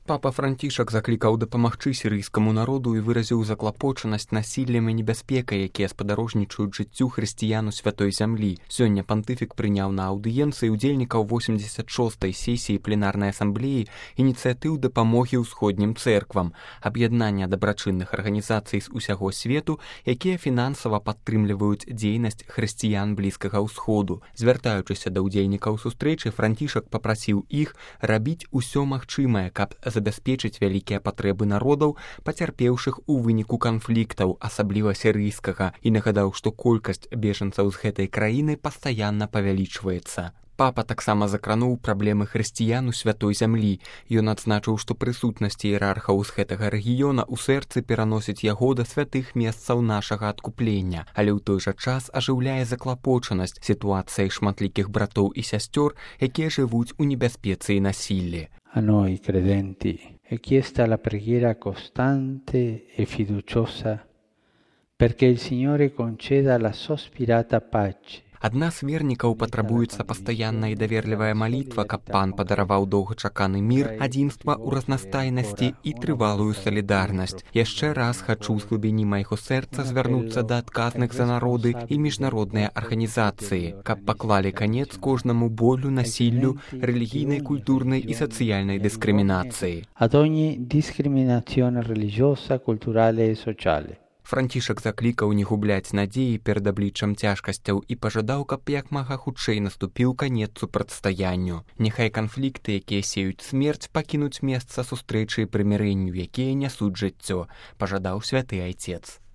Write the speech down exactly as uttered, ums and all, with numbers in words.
Папа Францішак заклікаў дапамагчы сірыйскаму народу і выразіў заклапочанасць насіллем і небяспекай, якія спадарожнічаюць жыццю хрысціян у святой зямлі. Сёння пантыфік прыняў на аўдыенцыі удзельнікаў восемьдесят шостай сесіі пленарнай асамблеі ініцыятыў дапамогі ўсходнім цэрквам, аб'яднання дабрачынных арганізацый з усяго свету, якія фінансава падтрымліваюць дзейнасць хрысціян Блізкага ўсходу. Звяртаючыся да ўдзельнікаў сустрэчы, Францішак папрасіў іх рабіць усё магчымае, каб забяспечыць вялікія патрэбы народаў, пацярпеўшых у выніку канфліктаў, асабліва сірыйскага, і нагадаў, што колькасць бежанцаў з гэтай краіны пастаянна павялічваецца. Папа таксама закрануў праблемы хрысціян у святой зямлі. Ён адзначыў, што прысутнасць іерархаў з гэтага рэгіёна ў сэрцы пераносіць яго да святых месцаў нашага адкуплення, але ў той жа час ажыўляе заклапочанасць сітуацыяй шматлікіх братоў і сясцёр, якія жывуць у небяспецы і насіллі. A noi credenti è chiesta la preghiera costante e fiduciosa perché il Signore conceda la sospirata pace. Ад нас, вернікаў, патрабуецца пастаянная і даверлівая малітва, каб пан падараваў доўгачаканы мір, адзінства ў разнастайнасці і трывалую салідарнасць. Яшчэ раз хачу з глыбіні майго сэрца звярнуцца да адказных за народы і міжнародныя арганізацыі, каб паклалі канец кожнаму болю, насіллю, рэлігійнай, культурнай і сацыяльнай дыскрымінацыі. Ad ogni discriminazione religiosa, culturale e sociale. Францішак заклікаў не губляць надзеі перад абліччам цяжкасцяў і пажадаў, каб як мага хутчэй наступіў канец супрацьстаянню. Няхай канфлікты, якія сеюць смерць, пакінуць месца сустрэчы і прымірэнню, якія нясуць жыццё, пажадаў святы айцец.